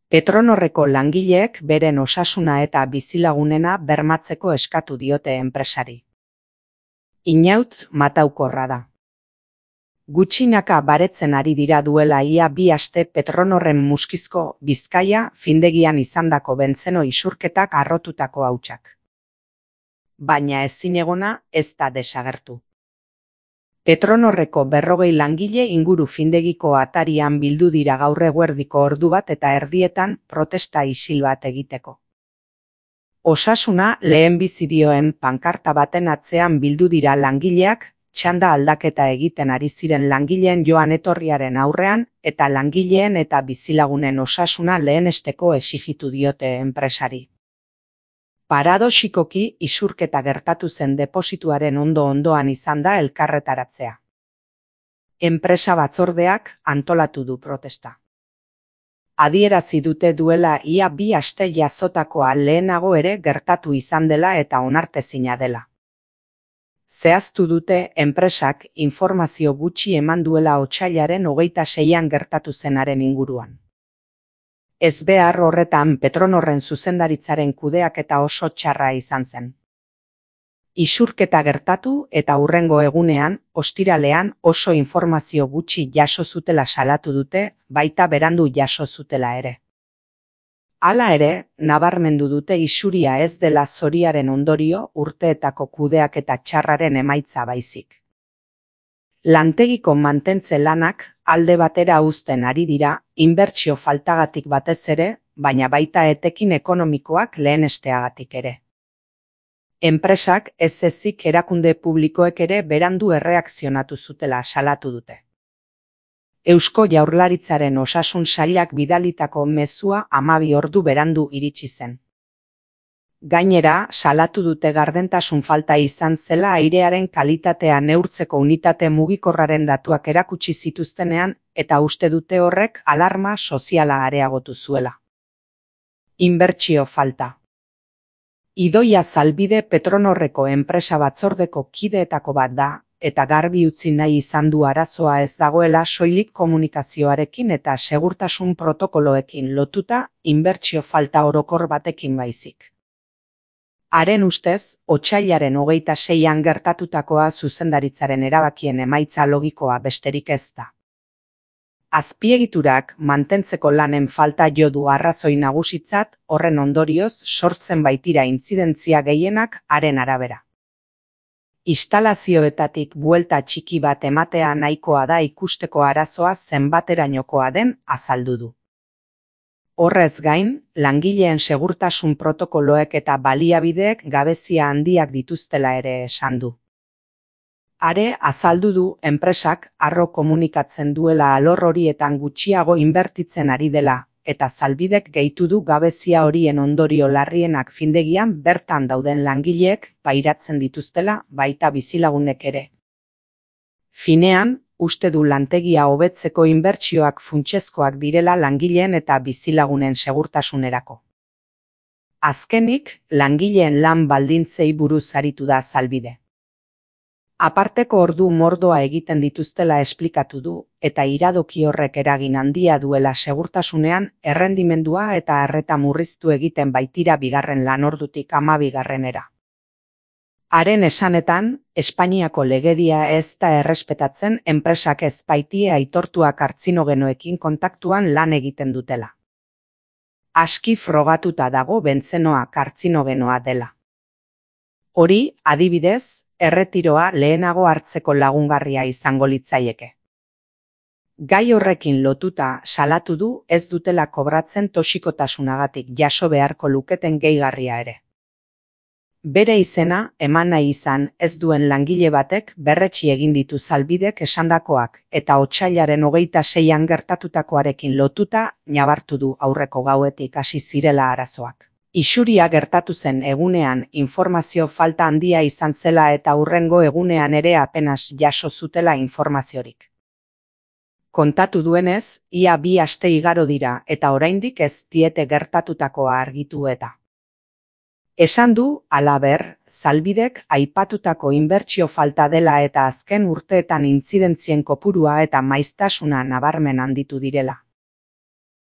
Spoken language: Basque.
Petronorreko langileek beren osasuna eta bizilagunena bermatzeko eskatu diote enpresari. Inaut mataukorra da. Gutxinaka baretzen ari dira duela ia 2 aste Petronorren Muskizko Bizkaia findegian izandako bentzeno isurketak harrotutako hautsak. Baina ezinegona ez da desagertu. Petronorreko 40 langile inguru findegiko atarian bildu dira gaur eguerdiko ordu 1:30 protesta isil bat egiteko. Osasuna lehenbizi dioen pankarta baten atzean bildu dira langileak, txanda aldaketa egiten ari ziren langileen joan etorriaren aurrean eta langileen eta bizilagunen osasuna lehenesteko exigitu diote enpresari. Paradoxikoki isurketa gertatu zen deposituaren ondoan izan da elkarretaratzea. Enpresa batzordeak antolatu du protesta. Adierazi dute duela ia 2 aste jazotakoa lehenago ere gertatu izan dela eta onartezina dela. Zehaztu dute enpresak informazio gutxi eman duela otsailaren 26an gertatu zenaren inguruan. Ezbehar horretan Petronorren zuzendaritzaren kudeaketa oso txarra izan zen. Isurketa gertatu eta hurrengo egunean, ostiralean oso informazio gutxi jaso zutela salatu dute, baita berandu jaso zutela ere. Hala ere, nabarmendu dute isuria ez dela zoriaren ondorio urteetako kudeaketa txarraren emaitza baizik. Lantegiko mantentze lanak alde batera uzten ari dira, inbertsio faltagatik batez ere, baina baita etekin ekonomikoak lehenesteagatik ere. Enpresak ez ezik erakunde publikoek ere berandu erreakzionatu zutela salatu dute. Eusko Jaurlaritzaren osasun sailak bidalitako mezua 12 ordu berandu iritsi zen. Gainera, salatu dute gardentasun falta izan zela airearen kalitatea neurtzeko unitate mugikorraren datuak erakutsi zituztenean eta uste dute horrek alarma soziala areagotu zuela. Inbertsio falta. Idoia Zalbide Petronorreko enpresa batzordeko kideetako bat da, eta garbi utzi nahi izan du arazoa ez dagoela soilik komunikazioarekin eta segurtasun protokoloekin lotuta inbertsio falta orokor batekin baizik. Haren ustez, otsailaren 26an gertatutakoa zuzendaritzaren erabakien emaitza logikoa besterik ez da. Azpiegiturak mantentzeko lanen falta jo du arrazoi nagusitzat, horren ondorioz sortzen baitira intzidentzia gehienak haren arabera. Instalazioetatik buelta txiki bat ematea nahikoa da ikusteko arazoa zenbaterainokoa den azaldu du. Horrez gain, langileen segurtasun protokoloek eta baliabideek gabezia handiak dituztela ere esan du. Are azaldu du enpresak harro komunikatzen duela alor horietan gutxiago inbertitzen ari dela, eta Zalbidek gehitu du gabezia horien ondorio larrienak findegian bertan dauden langileek pairatzen dituztela baita bizilagunek ere. Finean, uste du lantegia hobetzeko inbertsioak funtsezkoak direla langileen eta bizilagunen segurtasunerako. Azkenik, langileen lan baldintzei buruz aritu da Zalbide. Aparteko ordu mordoa egiten dituztela esplikatu du, eta iradoki horrek eragin handia duela segurtasunean errendimendua eta arreta murriztu egiten baitira 2. lanordutik 12. Haren esanetan, Espainiako legedia ez da errespetatzen enpresak ez baitie aitortua kartzinogenoekin kontaktuan lan egiten dutela. Aski frogatuta dago bentzenoa kartzinogenoa dela. Hori, adibidez, erretiroa lehenago hartzeko lagungarria izango litzaieke. Gai horrekin lotuta salatu du ez dutela kobratzen toxikotasunagatik jaso beharko luketen gehigarria ere. Bere izena eman nahi izan ez duen langile batek berretsi egin ditu Zalbidek esandakoak eta otsailaren 26an gertatutakoarekin lotuta nabartu du aurreko gauetik hasi zirela arazoak. Isuria gertatu zen egunean informazio falta handia izan zela eta hurrengo egunean ere apenas jaso zutela informaziorik. Kontatu duenez, ia 2 aste igaro dira eta oraindik ez diete gertatutakoa argitu eta. Esan du, halaber, Zalbidek aipatutako inbertsio falta dela eta azken urteetan intzidentzien kopurua eta maiztasuna nabarmen handitu direla.